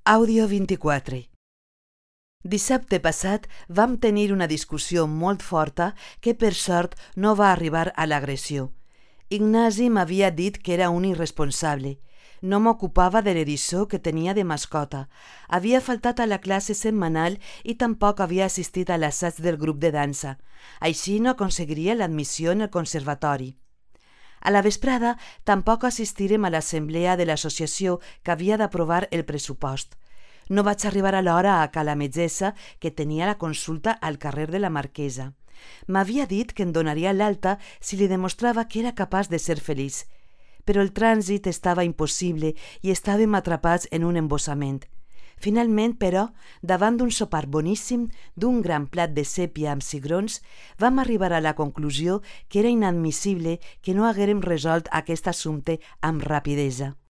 Àudio 24. Dissabte passat vam tenir una discussió molt forta que per sort no va arribar a l'agressió. Ignasi m'havia dit que era un irresponsable. No m'ocupava de l'eriçó que tenia de mascota. Havia faltat a la classe setmanal i tampoc havia assistit a l'assaig del grup de dansa. Així no aconseguiria l'admissió en el conservatori. A la vesprada tampoc assistirem a l'assemblea de l'associació que havia d'aprovar el pressupost. No vaig arribar a l'hora a ca la metgessa que tenia la consulta al carrer de la Marquesa. M'havia dit que em donaria l'alta si li demostrava que era capaç de ser feliç. Però el trànsit estava impossible i estàvem atrapats en un embossament. Finalment, però, davant d'un sopar boníssim, d'un gran plat de sèpia amb cigrons, vam arribar a la conclusió que era inadmissible que no haguérem resolt aquest assumpte amb rapidesa.